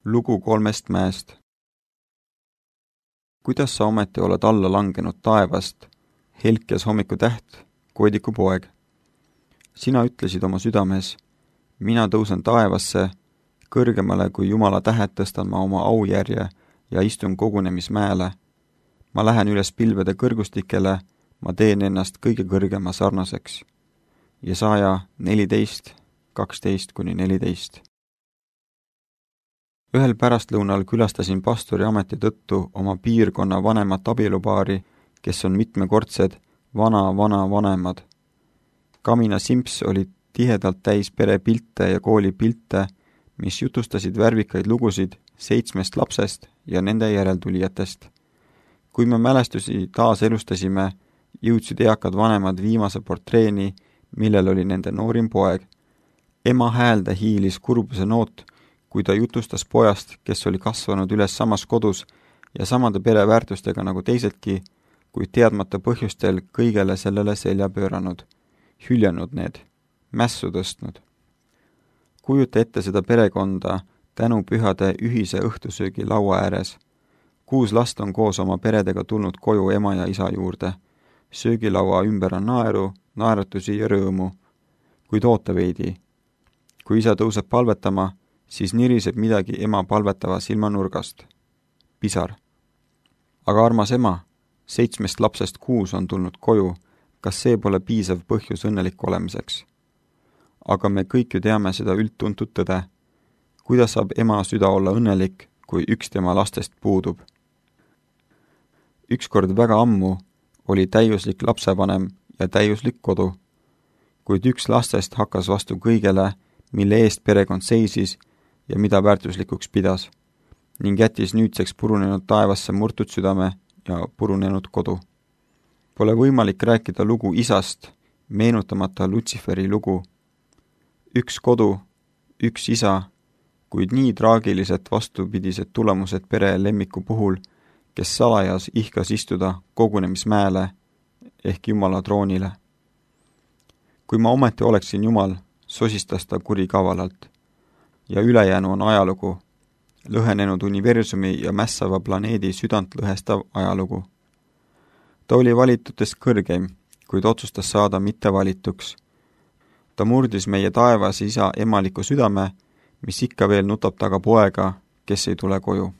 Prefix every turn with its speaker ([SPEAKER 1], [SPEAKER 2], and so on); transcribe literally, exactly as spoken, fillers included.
[SPEAKER 1] Lugu kolmest mäest. Kuidas sa ometi oled alla langenud taevast, helkjas hommikutäht, koodiku poeg? Sina ütlesid oma südames, mina tõusen taevasse, kõrgemale kui Jumala tähed tõstan ma oma aujärje ja istun kogunemismäele. Ma lähen üles pilvede kõrgustikele, ma teen ennast kõige kõrgema sarnaseks. Jesaja neliteist, kaksteist kuni neliteist. Ühel pärastlõunal külastasin pastori ameti tõttu oma piirkonna vanemat abielupaari, kes on mitmekordsed vana-vana vanemad. Kamina Simps oli tihedalt täis perepilte ja koolipilte, mis jutustasid värvikaid lugusid seitsmest lapsest ja nende järeltulijatest. Kui me mälestusi taas elustasime, jõudsid eakad vanemad viimase portreeni, millel oli nende noorim poeg. Ema häälde hiilis kurbuse noot, kui ta jutustas pojast, kes oli kasvanud üles samas kodus ja samade pereväärtustega nagu teisedki, kuid teadmata põhjustel kõigele sellele selja pööranud, hüljanud need, mässu tõstnud. Kujuta ette seda perekonda tänu pühade ühise õhtusöögi laua ääres. Kuus last on koos oma peredega tulnud koju ema ja isa juurde. Söögilaua ümber on naeru, naeratusi ja rõõmu. Kuid oota veidi. Kui isa tõuseb palvetama, siis niriseb midagi ema palvetava silmanurgast. Pisar. Aga armas ema, seitsmest lapsest kuus on tulnud koju, kas see pole piisav põhjus õnnelik olemiseks? Aga me kõik ju teame seda üldtuntud tõde. Kuidas saab ema süda olla õnnelik, kui üks tema lastest puudub? Ükskord väga ammu oli täiuslik lapsevanem ja täiuslik kodu, kuid üks lastest hakkas vastu kõigele, mille eest perekond seisis ja mida väärtuslikuks pidas, ning jättis nüüdseks purunenud taevasse murtud südame ja purunenud kodu. Pole võimalik rääkida lugu isast, meenutamata Lutsiferi lugu. Üks kodu, üks isa, kuid nii traagiliselt vastupidised tulemused pere lemmiku puhul, kes salajas ihkas istuda kogunemismäele ehk Jumala troonile. Kui ma ometi oleksin Jumal, sosistas ta kurikavalalt. Ja ülejäänu on ajalugu, lõhenenud universumi ja mässava planeedi südant lõhestav ajalugu. Ta oli valitutest kõrgeim, kuid otsustas saada mitte valituks. Ta murdis meie taevas isa emaliku südame, mis ikka veel nutab taga poega, kes ei tule koju.